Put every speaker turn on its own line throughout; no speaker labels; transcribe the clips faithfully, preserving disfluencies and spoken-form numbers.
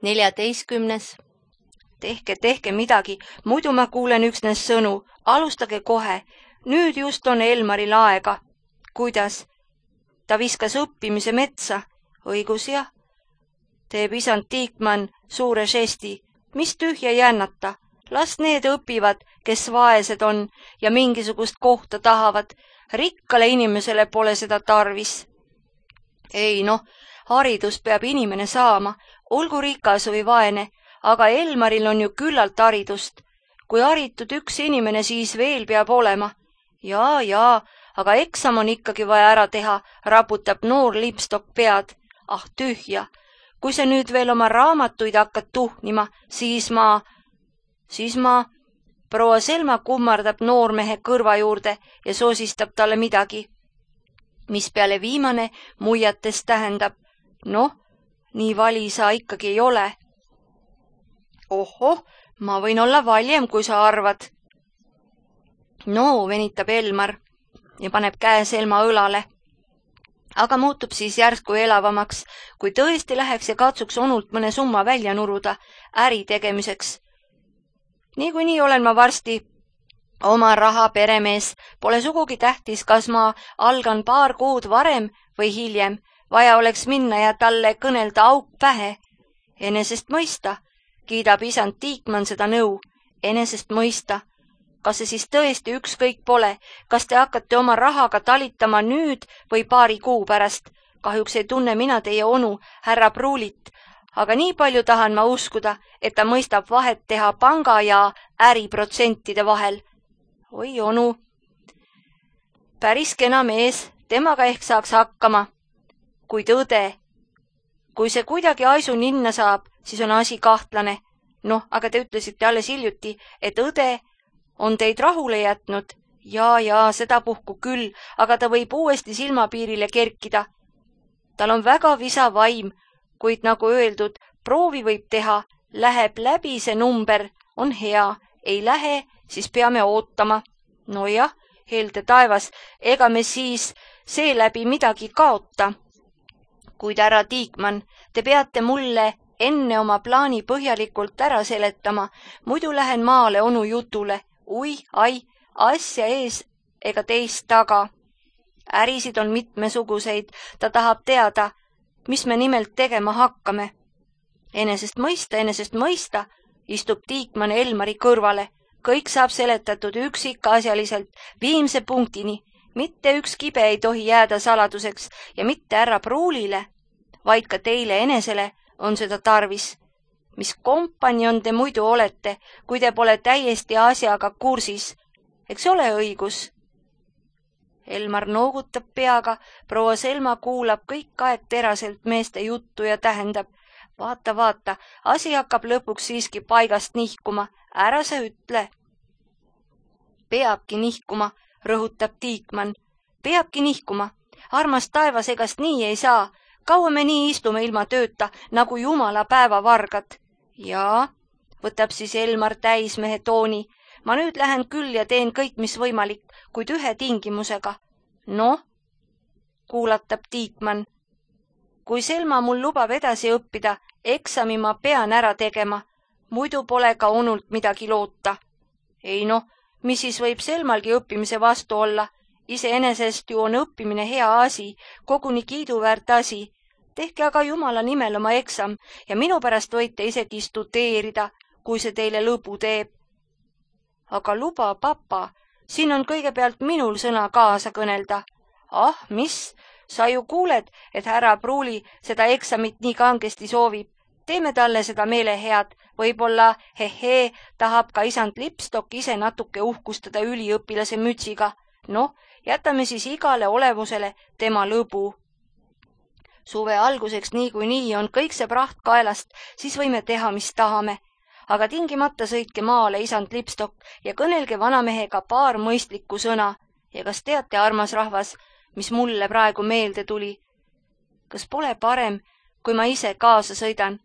neljateistkümnes. Tehke, tehke midagi, muidu ma kuulen üksnes sõnu. Alustage kohe. Nüüd just on Elmaril aega. Kuidas? Ta viskas õppimise metsa. Õigus jah. Teeb isand Tiikmann suure žesti. Mis tühja jännata? Las need õpivad, kes vaesed on ja mingisugust kohta tahavad. Rikkale inimesele pole seda tarvis. Ei noh, haridus peab inimene saama, olgu rikas või vaene, aga Elmaril on ju küllalt haridust. Kui haritud üks inimene siis veel peab olema. Jaa, jaa, aga eksam on ikkagi vaja ära teha, raputab noor Lipstok pead. Ah, tühja. Kui sa nüüd veel oma raamatuid hakkad tuhnima, siis ma... Siis ma... Proua Selma kummardab noormehe kõrva juurde ja soosistab talle midagi, mis peale viimane muiates tähendab. Noh, nii vali sa ikkagi ei ole. Ohoh, ma võin olla valjem, kui sa arvad. No, venitab Elmar ja paneb käe Selma õlale. Aga muutub siis järsku elavamaks, kui tõesti läheks ja katsuks onult mõne summa välja nuruda äri tegemiseks. Niikuinii olen ma varsti oma raha peremees. Pole sugugi tähtis, kas ma algan paar kuud varem või hiljem. Vaja oleks minna ja talle kõnelda auk pähe. Enesest mõista, kiidab isand Tiikmann seda nõu. Enesest mõista. Kas see siis tõesti ükskõik pole? Kas te hakkate oma rahaga talitama nüüd või paari kuu pärast? Kahjuks ei tunne mina teie onu, härra Pruulit. Aga nii palju tahan ma uskuda, et ta mõistab vahet teha panga ja äriprotsentide vahel. Oi onu. Päris kena mees, temaga ehk saaks hakkama. Kuid õde. Kui see kuidagi aisu ninna saab, siis on asi kahtlane. Noh, aga te ütlesite alles hiljuti, et õde on teid rahule jätnud. Jaa, jaa, seda puhku küll, aga ta võib uuesti silmapiirile kerkida. Tal on väga visa vaim, kuid nagu öeldud, proovi võib teha, läheb läbi see number, on hea, ei lähe, siis peame ootama. No jah, heelde taevas, ega me siis seeläbi midagi kaota. Kuid härra Tiikmann, te peate mulle enne oma plaani põhjalikult ära seletama, muidu lähen maale onu jutule. Ui, ai, asja ees ega teist taga. Ärisid on mitmesuguseid, ta tahab teada, mis me nimelt tegema hakkame. Enesest mõista, enesest mõista, istub Tiikmann Elmari kõrvale. Kõik saab seletatud üksikasjaliselt, viimse punktini. Mitte üks kibe ei tohi jääda saladuseks ja mitte härra Pruulile, vaid ka teile enesele on seda tarvis. Mis kompanjon te muidu olete, kui te pole täiesti asjaga kursis? Eks ole õigus? Elmar noogutab peaga, proua Selma kuulab kõik aeg teraselt meeste juttu ja tähendab. Vaata, vaata, asi hakkab lõpuks siiski paigast nihkuma. Ära sa ütle. Peabki nihkuma, rõhutab Tiikmann. Peabki nihkuma. Armas taevas, egast nii ei saa. Kaua me nii istume ilma tööta, nagu jumala päevavargad. Jaa, võtab siis Elmar täismehe tooni. Ma nüüd lähen küll ja teen kõik, mis võimalik, kuid ühe tingimusega. Noh, kuulatab Tiikmann. Kui Selma mul lubab edasi õppida, eksami ma pean ära tegema. Muidu pole ka onult midagi loota. Ei noh, mis siis võib Selmalgi õppimise vastu olla? Iseenesest ju on õppimine hea asi, koguni kiiduväärt asi. Tehke aga jumala nimel oma eksam ja minu pärast võite isegi studeerida, kui see teile lõbu teeb. Aga luba, papa, siin on kõigepealt minul sõna kaasa kõnelda. Ah, mis? Sa ju kuuled, et härra Pruuli seda eksamit nii kangesti soovib. Teeme talle seda meele head. Võib-olla, hehee, tahab ka isand Lipstok ise natuke uhkustada üliõpilase mütsiga. Noh, jätame siis igale olevusele tema lõbu. Suve alguseks nii kui nii on kõik see praht kaelast, siis võime teha, mis tahame. Aga tingimata sõitke maale isand Lipstok ja kõnelge vanamehega paar mõistlikku sõna. Ja kas teate, armas rahvas, mis mulle praegu meelde tuli? Kas pole parem, kui ma ise kaasa sõidan?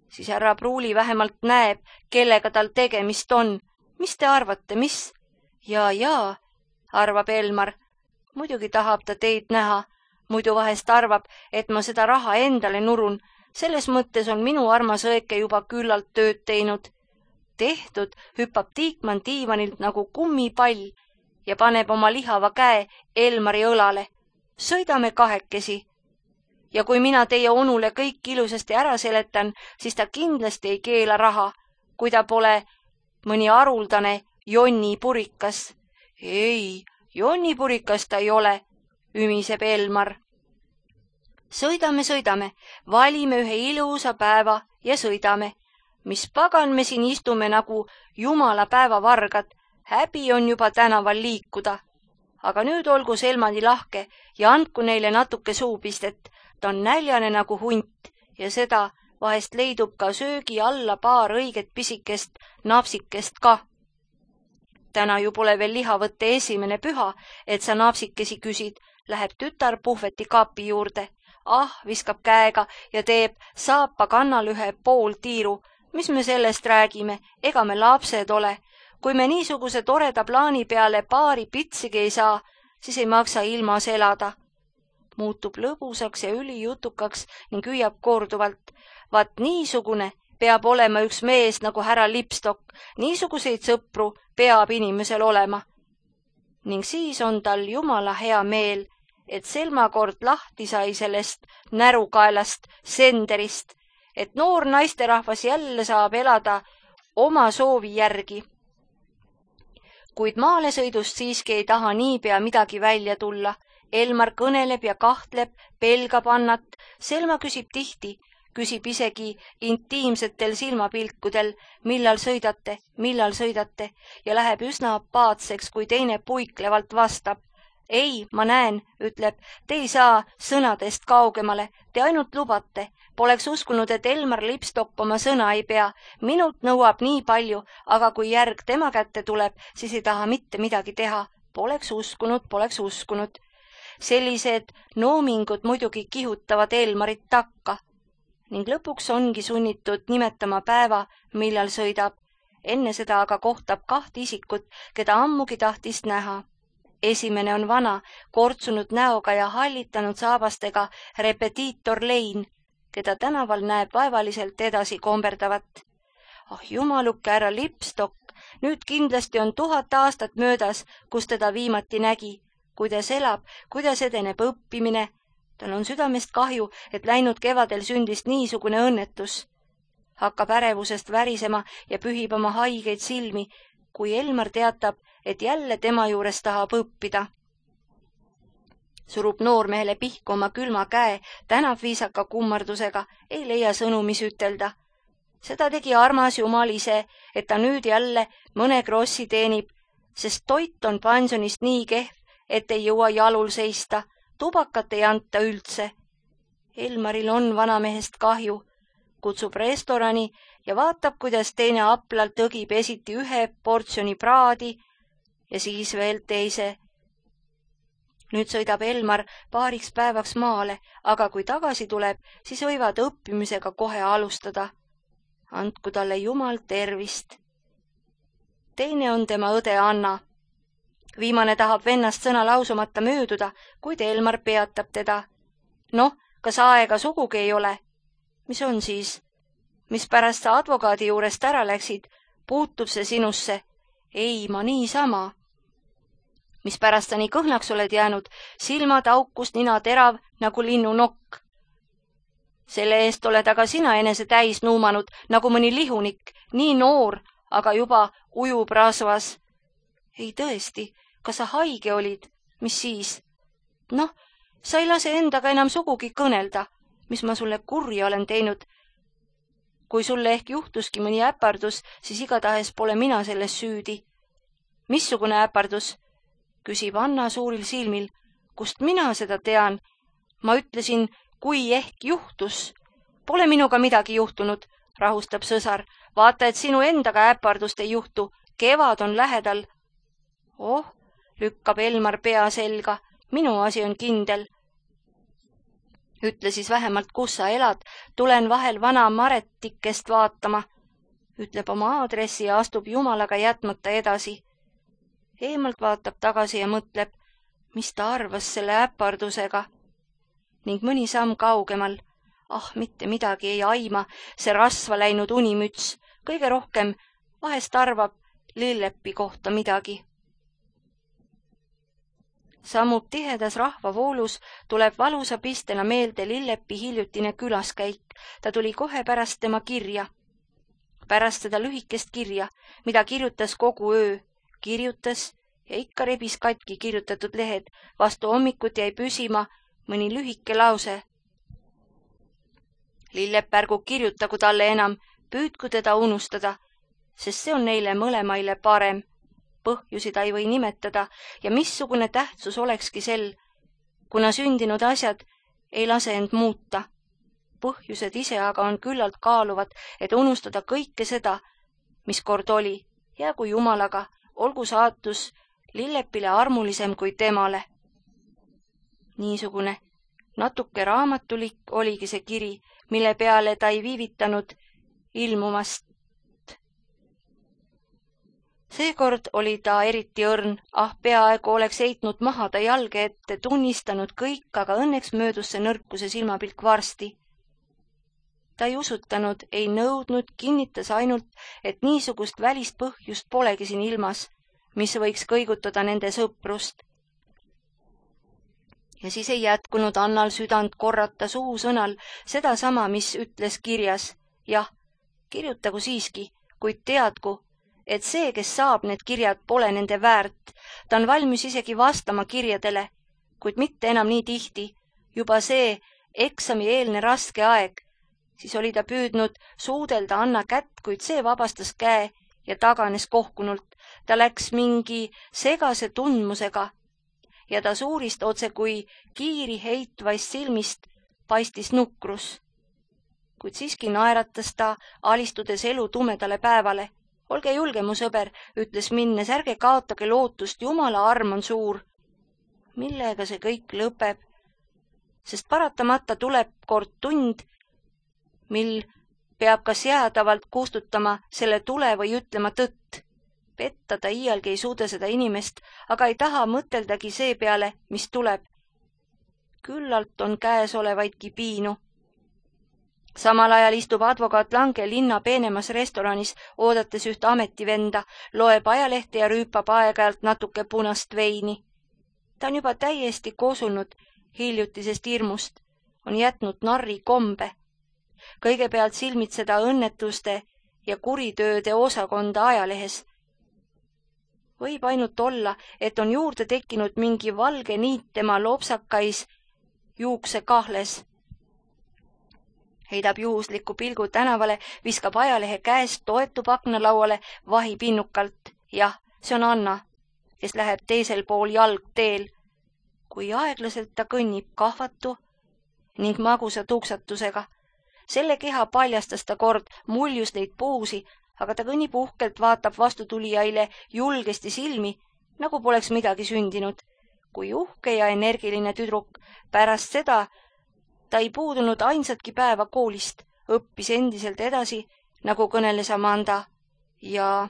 Siis härra Pruuli vähemalt näeb, kellega tal tegemist on. Mis te arvate, mis? Jaa, jaa, arvab Elmar. Muidugi tahab ta teid näha. Muidu vahest arvab, et ma seda raha endale nurun. Selles mõttes on minu armas õeke juba küllalt tööd teinud. Tehtud hüppab Tiikmann diivanilt nagu kummipall ja paneb oma lihava käe Elmari õlale. Sõidame kahekesi. Ja kui mina teie onule kõik ilusasti ära seletan, siis ta kindlasti ei keela raha, kui ta pole mõni haruldane Jonni purikas. Ei, Jonni purikas ta ei ole, ümiseb Elmar. Sõidame, sõidame, valime ühe ilusa päeva ja sõidame. Mis pagan me siin istume nagu jumala päevavargad, häbi on juba tänaval liikuda. Aga nüüd olgu Selmani lahke ja andku neile natuke suupistet. Ta on näljane nagu hunt ja seda vahest leidub ka söögi alla paar õiget pisikest napsikest ka. Täna ju pole veel lihavõtte esimene püha, et sa napsikesi küsid, läheb tütar puhveti kapi juurde. Ah, viskab käega ja teeb saapa kannal ühe pool tiiru. Mis me sellest räägime, ega me lapsed ole. Kui me niisuguse toreda plaani peale paari pitsigi ei saa, siis ei maksa ilmas elada. Muutub lõbusaks ja ülijutukaks ning hüüab korduvalt. Vaat niisugune peab olema üks mees nagu härra Lipstok. Niisuguseid sõpru peab inimesel olema. Ning siis on tal jumala hea meel, et Selma kord lahti sai sellest närukaelast senderist, et noor naisterahvas jälle saab elada oma soovi järgi. Kuid maalesõidust siiski ei taha niipea midagi välja tulla. Elmar kõneleb ja kahtleb, pelgab Annat. Selma küsib tihti, küsib isegi intiimsetel silmapilkudel, millal sõidate, millal sõidate ja läheb üsna apaatseks, kui teine puiklevalt vastab. Ei, ma näen, ütleb, te ei saa sõnadest kaugemale, te ainult lubate. Poleks uskunud, et Elmar Lipstok oma sõna ei pea. Minult nõuab nii palju, aga kui järg tema kätte tuleb, siis ei taha mitte midagi teha. Poleks uskunud, poleks uskunud. Sellised noomingud muidugi kihutavad Elmarit takka ning lõpuks ongi sunnitud nimetama päeva, millal sõidab. Enne seda aga kohtab kaht isikut, keda ammugi tahtis näha. Esimene on vana, kortsunud näoga ja hallitanud saabastega repetiitor Lein, keda tänaval näeb vaevaliselt edasi komberdavat. Ah, jumaluke härra Lipstok, nüüd kindlasti on tuhat aastat möödas, kus teda viimati nägi. Kuidas elab, kuidas edeneb õppimine. Tal on südamest kahju, et läinud kevadel sündis niisugune õnnetus. Hakkab ärevusest värisema ja pühib oma haigeid silmi, kui Elmar teatab, et jälle tema juures tahab õppida. Surub noormehele pihku oma külma käe, tänab viisaka kummardusega, ei leia sõnu, mis ütelda. Seda tegi armas jumal ise, et ta nüüd jälle mõne krossi teenib, sest toit on pensionist nii kehv, et ei jõua jalul seista, tubakat ei anta üldse. Elmaril on vanamehest kahju, kutsub restorani ja vaatab, kuidas teine aplalt õgib esiti ühe portsjoni praadi ja siis veel teise. Nüüd sõidab Elmar paariks päevaks maale, aga kui tagasi tuleb, siis võivad õppimisega kohe alustada. Andku talle jumal tervist. Teine on tema õde Anna. Viimane tahab vennast sõna lausumata mööduda, kuid Elmar peatab teda. Noh, kas aega sugugi ei ole? Mis on siis? Mis pärast sa advokaadi juurest ära läksid? Puutub see sinusse? Ei, ma niisama. Mis pärast sa nii kõhnaks oled jäänud? Silmad aukust, nina terav nagu linnu nokk. Selle eest oled aga sina enese täis nuumanud nagu mõni lihunik, nii noor, aga juba ujub rasvas. Ei tõesti, kas sa haige olid? Mis siis? Noh, sa ei lase endaga enam sugugi kõnelda, mis ma sulle kurja olen teinud. Kui sulle ehk juhtuski mõni äpardus, siis igatahes pole mina selles süüdi. Missugune äpardus? Küsib Anna suuril silmil. Kust mina seda tean? Ma ütlesin, kui ehk juhtus. Pole minuga midagi juhtunud, rahustab sõsar. Vaata, et sinu endaga äpardust ei juhtu. Kevad on lähedal. Oh, lükkab Elmar pea selga. Minu asi on kindel. Ütle siis vähemalt, kus sa elad. Tulen vahel vana Maretikest vaatama. Ütleb oma aadressi ja astub jumalaga jätmata edasi. Eemalt vaatab tagasi ja mõtleb, mis ta arvas selle äpardusega. Ning mõni samm kaugemal. Ah, mitte midagi ei aima, see rasva läinud unimüts, kõige rohkem vahest arvab Lillepi kohta midagi. Sammub tihedas rahvavoolus, tuleb valusa pistena meelde Lillepi hiljutine külaskäik. Ta tuli kohe pärast tema kirja. Pärast seda lühikest kirja, mida kirjutas kogu öö, kirjutas ja ikka rebis katki kirjutatud lehed. Vastu hommikut jäi püsima mõni lühike lause. Lillep ärgu kirjutagu talle enam, püüdku teda unustada, sest see on neile mõlemaile parem. Põhjusi ta ei või nimetada ja missugune tähtsus olekski sel, kuna sündinud asjad ei lase end muuta. Põhjused ise aga on küllalt kaaluvad, et unustada kõike seda, mis kord oli, jäägu Jumalaga, olgu saatus Lillepile armulisem kui temale. Niisugune natuke raamatulik oligi see kiri, mille peale ta ei viivitanud ilmumast. Seekord oli ta eriti õrn, ah peaaegu oleks heitnud maha ta jalge ette, tunnistanud kõik, aga õnneks möödus see nõrkuse silmapilk varsti. Ta ei usutanud, ei nõudnud, kinnitas ainult, et niisugust välist põhjust polegi siin ilmas, mis võiks kõigutada nende sõprust. Ja siis ei jätkunud Annal südant korrata suusõnal seda sama, mis ütles kirjas. Jah, kirjutagu siiski, kuid teadku, et see, kes saab need kirjad, pole nende väärt. Ta on valmis isegi vastama kirjadele, kuid mitte enam nii tihti. Juba see eksami eelne raske aeg, siis oli ta püüdnud suudelda Anna kätt, kuid see vabastas käe ja taganes kohkunult. Ta läks mingi segase tundmusega ja ta suurist otse kui kiiri heitvaist silmist paistis nukrus. Kuid siiski naeratas ta, alistudes elu tumedale päevale. Olge julge, mu sõber, ütles minnes, ärge kaotage lootust, Jumala arm on suur. Millega see kõik lõpeb? Sest paratamata tuleb kord tund, mil peab kas jäädavalt kustutama selle tule või ütlema tõtt. Petta ta iialgi ei suuda seda inimest, aga ei taha mõteldagi see peale, mis tuleb. Küllalt on käesolevaidki piinu. Samal ajal istub advokaat Lange linna peenemas restoranis, oodates ühte ametivenda, loeb ajalehti ja rüüpab aeg-ajalt natuke punast veini. Ta on juba täiesti kosunud hiljutisest hirmust, on jätnud narri kombe. Kõigepealt silmitseda õnnetuste ja kuritööde osakonda ajalehes. Võib ainult olla, et on juurde tekkinud mingi valge niit tema lopsakais juukse kahles. Heidab juhusliku pilgu tänavale, viskab ajalehe käest, toetub aknalauale vahipinnukalt. Jah, see on Anna, kes läheb teisel pool jalgteel. Kui aeglaselt ta kõnnib kahvatu ning magusa tuksatusega. Selle keha paljastas ta kord, muljus neid puusi, aga ta kõnnib uhkelt, vaatab vastutulijaile julgesti silmi, nagu poleks midagi sündinud. Kui uhke ja energiline tüdruk, pärast seda ta ei puudunud ainsatki päeva koolist, õppis endiselt edasi, nagu kõneles Amanda, ja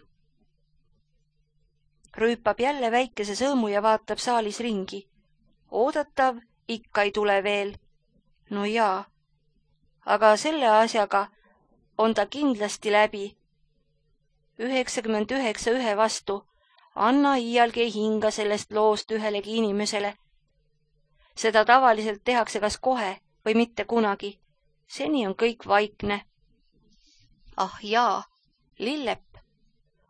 rüüpab jälle väikese sõõmu ja vaatab saalis ringi. Oodatav ikka ei tule veel. No jaa, aga selle asjaga on ta kindlasti läbi. üheksakümmend üheksa ühe vastu. Anna iialgi ei hinga sellest loost ühelegi inimesele. Seda tavaliselt tehakse kas kohe või mitte kunagi. Seni on kõik vaikne. Ah jaa, Lillep.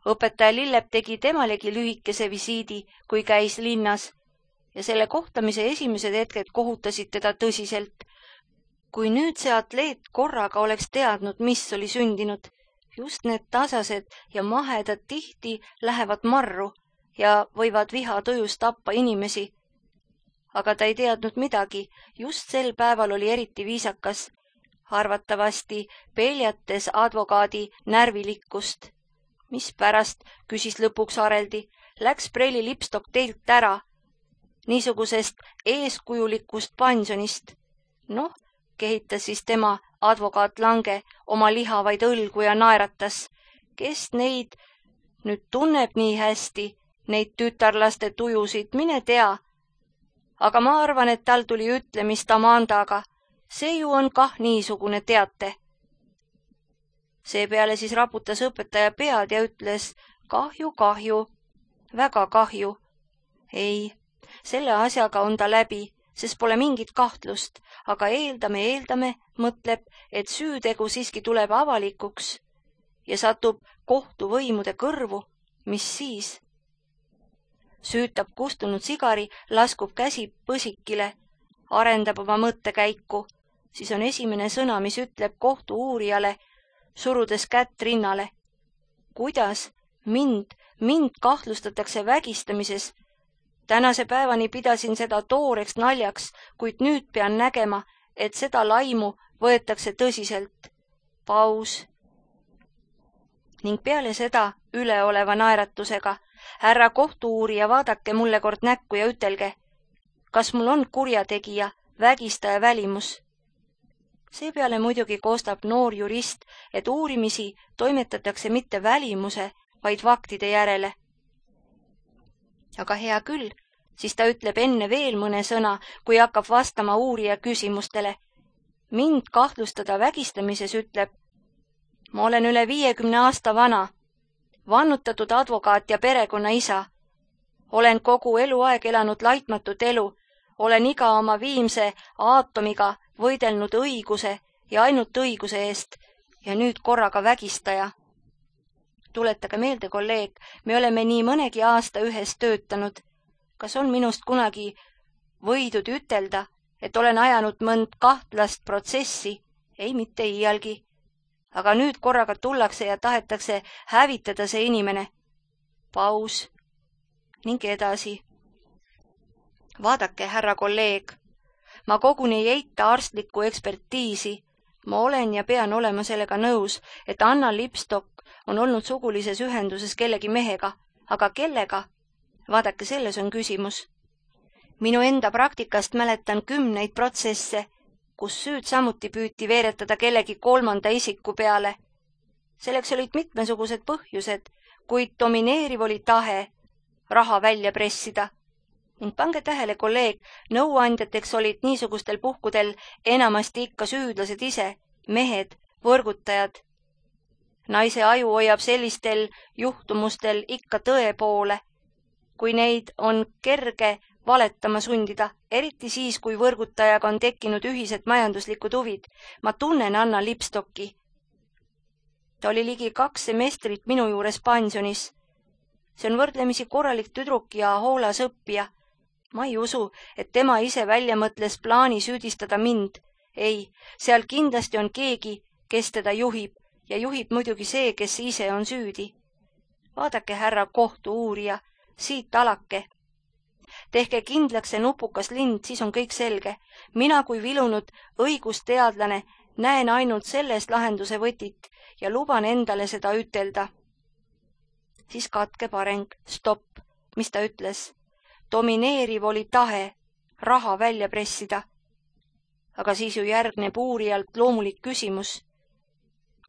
Õpetaja Lillep tegi temalegi lühikese visiidi, kui käis linnas, ja selle kohtamise esimesed hetked kohutasid teda tõsiselt. Kui nüüd see atleet korraga oleks teadnud, mis oli sündinud, just need tasased ja mahedad tihti lähevad marru ja võivad viha tujus tappa inimesi. Aga ta ei teadnud midagi, just sel päeval oli eriti viisakas, arvatavasti peljates advokaadi närvilikkust. Mis pärast, küsis lõpuks Areldi, läks Prelli lipstok teilt ära, niisugusest eeskujulikust pansjonist. Noh, kehitas siis tema advokaat Lange oma lihavaid õlgu ja naeratas. Kes neid nüüd tunneb nii hästi, neid tütarlaste tujusid, mine tea. Aga ma arvan, et tal tuli ütlemist Amandaga see ju on kah niisugune, teate. Seepeale siis raputas õpetaja pead ja ütles, kahju, kahju, väga kahju. Ei, selle asjaga on ta läbi, sest pole mingit kahtlust, aga eeldame, eeldame, mõtleb, et süütegu siiski tuleb avalikuks ja satub kohtuvõimude kõrvu, mis siis? Süütab kustunud sigari, laskub käsi põsikile, arendab oma mõttekäiku, siis on esimene sõna, mis ütleb kohtu uurijale, surudes kätt rinnale. Kuidas mind, mind kahtlustatakse vägistamises? Tänase päevani pidasin seda tooreks naljaks, kuid nüüd pean nägema, et seda laimu võetakse tõsiselt. Paus. Ning peale seda üleoleva naeratusega, härra kohtu-uurija, vaadake mulle kord näkku ja ütelge, kas mul on kurjategija, vägistaja välimus? Seepeale muidugi koostab noor jurist, et uurimisi toimetatakse mitte välimuse, vaid faktide järele. Aga hea küll, siis ta ütleb enne veel mõne sõna, kui hakkab vastama uurija küsimustele. Mind kahtlustada vägistamises ütleb, ma olen üle viiekümne aasta vana, vannutatud advokaat ja perekonna isa. Olen kogu eluaeg elanud laitmatut elu, olen iga oma viimse aatomiga võidelnud õiguse ja ainult õiguse eest ja nüüd korraga vägistaja. Tuletage meelde, kolleeg, me oleme nii mõnegi aasta ühes töötanud. Kas on minust kunagi võidud ütelda, et olen ajanud mõnd kahtlast protsessi? Ei, mitte iialgi. Aga nüüd korraga tullakse ja tahetakse hävitada see inimene. Paus. Ning edasi. Vaadake, härra kolleeg, ma koguni ei eita arstlikku ekspertiisi. Ma olen ja pean olema sellega nõus, et Anna Lipstock on olnud sugulises ühenduses kellegi mehega, aga kellega? Vaadake, selles on küsimus. Minu enda praktikast mäletan kümneid protsesse, kus süüd samuti püüti veeretada kellegi kolmanda isiku peale. Selleks olid mitmesugused põhjused, kuid domineeriv oli tahe raha välja pressida. Ning pange tähele, kolleeg, nõuandjateks olid niisugustel puhkudel enamasti ikka süüdlased ise, mehed, võrgutajad. Naise aju hoiab sellistel juhtumustel ikka tõe poole, kui neid on kerge valetama sundida, eriti siis, kui võrgutajaga on tekkinud ühised majanduslikud huvid. Ma tunnen Anna Lipstocki. Ta oli ligi kaks semestrit minu juures pensionis. See on võrdlemisi korralik tüdruk ja hoolas õppija. Ma ei usu, et tema ise välja mõtles plaani süüdistada mind. Ei, seal kindlasti on keegi, kes teda juhib ja juhib muidugi see, kes ise on süüdi. Vaadake, härra kohtu-uurija, siit alake. Tehke kindlaks see nupukas lind, siis on kõik selge. Mina kui vilunud õigusteadlane näen ainult sellest lahenduse võtit ja luban endale seda ütelda. Siis katkeb areng. Stopp. Mis ta ütles? Domineeriv oli tahe raha välja pressida. Aga siis ju järgneb uurijalt loomulik küsimus.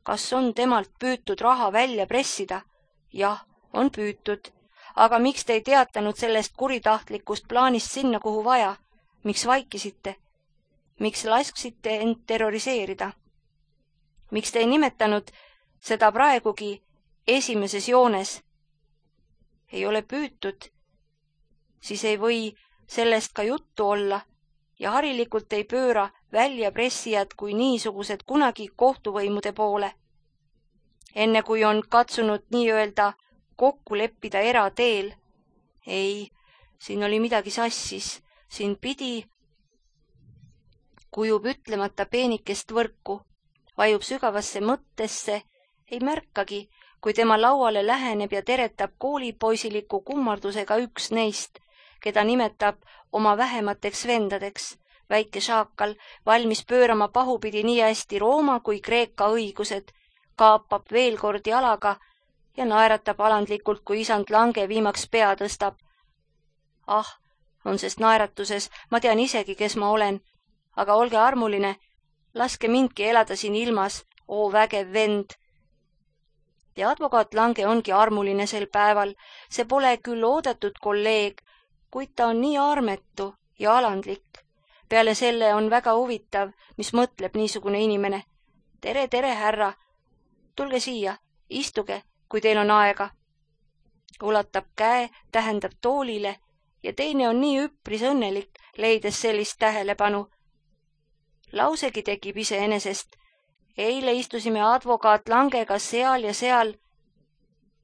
Kas on temalt püütud raha välja pressida? Jah, on püütud. Aga miks te ei teatanud sellest kuritahtlikust plaanist sinna, kuhu vaja? Miks vaikisite? Miks lasksite end terroriseerida? Miks te ei nimetanud seda praegugi esimeses joones? Ei ole püütud. Siis ei või sellest ka juttu olla ja harilikult ei pööra väljapressijad kui niisugused kunagi kohtuvõimude poole. Enne kui on katsunud nii-öelda kokku leppida erateel. Ei, siin oli midagi sassis. Siin pidi kujub ütlemata peenikest võrku, vajub sügavasse mõttesse, ei märkagi, kui tema lauale läheneb ja teretab koolipoisiliku kummardusega üks neist, keda nimetab oma vähemateks vendadeks, väike šaakal, valmis pöörama pahupidi nii hästi Rooma kui Kreeka õigused, kaapab veel kord jalaga ja naeratab alandlikult, kui isand lange viimaks pea tõstab. Ah, on sest naeratuses, ma tean isegi, kes ma olen, aga olge armuline, laske mindki elada siin ilmas, oo vägev vend. Ja advokaat Lange ongi armuline sel päeval, see pole küll oodatud kolleeg, kuid ta on nii armetu ja alandlik. Peale selle on väga huvitav, mis mõtleb niisugune inimene. Tere, tere, härra! Tulge siia, istuge, kui teil on aega. Ulatab käe, tähendab toolile ja teine on nii üpris õnnelik, leides sellist tähelepanu. Lausegi tekib iseenesest. Eile istusime advokaat Langega seal ja seal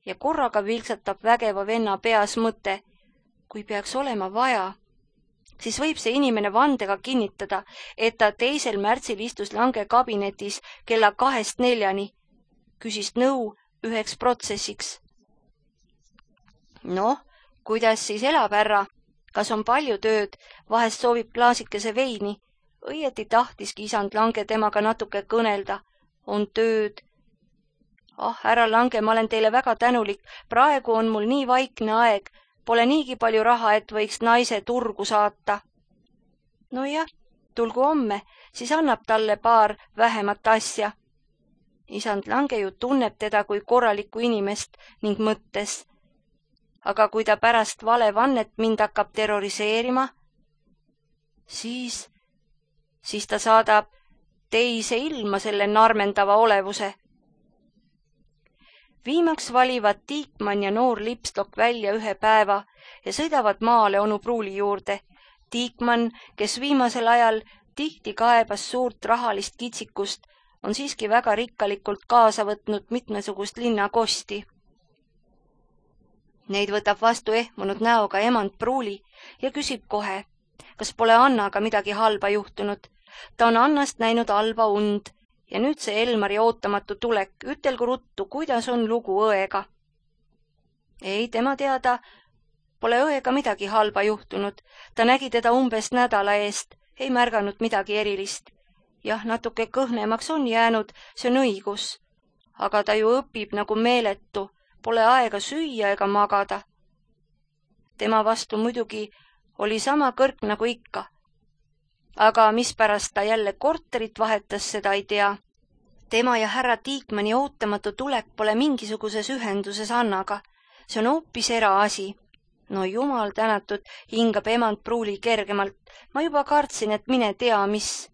ja korraga vilksatab vägeva venna peas mõte. Kui peaks olema vaja, siis võib see inimene vandega kinnitada, et ta teisel märtsil istus Lange kabinetis kella kahest neljani, küsis nõu üheks protsessiks. Noh, kuidas siis elab härra? Kas on palju tööd? Vahest soovib klaasikese veini? Õieti tahtiski isand Lange temaga natuke kõnelda. On tööd. Ah, härra Lange, ma olen teile väga tänulik. Praegu on mul nii vaikne aeg. Pole niigi palju raha, et võiks naise turgu saata. No jah, tulgu homme, siis annab talle paar vähemat asja. Isand Lange ju tunneb teda kui korralikku inimest ning mõttes. Aga kui ta pärast valevannet mind hakkab terroriseerima, siis, siis ta saadab teise ilma selle narmendava olevuse. Viimaks valivad Tiikmann ja noor Lipstok välja ühe päeva ja sõidavad maale onu Pruuli juurde. Tiikmann, kes viimasel ajal tihti kaebas suurt rahalist kitsikust, on siiski väga rikkalikult kaasa võtnud mitmesugust linnakosti. Neid võtab vastu ehmunud näoga emand Pruuli ja küsib kohe, kas pole Annaga midagi halba juhtunud. Ta on Annast näinud halba und ja nüüd see Elmari ootamatu tulek. Ütelgu ruttu, kuidas on lugu õega. Ei, tema teada pole õega midagi halba juhtunud. Ta nägi teda umbes nädala eest, ei märganud midagi erilist. Jah, natuke kõhnemaks on jäänud, see on õigus. Aga ta ju õpib nagu meeletu. Pole aega süüa ega magada. Tema vastu muidugi oli sama kõrk nagu ikka. Aga mispärast ta jälle korterit vahetas, seda ei tea. Tema ja härra Tiikmanni ootamatu tulek pole mingisuguses ühenduses Annaga. See on hoopis eraasi. No jumal tänatud, hingab emand Pruuli kergemalt. Ma juba kartsin, et mine tea, mis.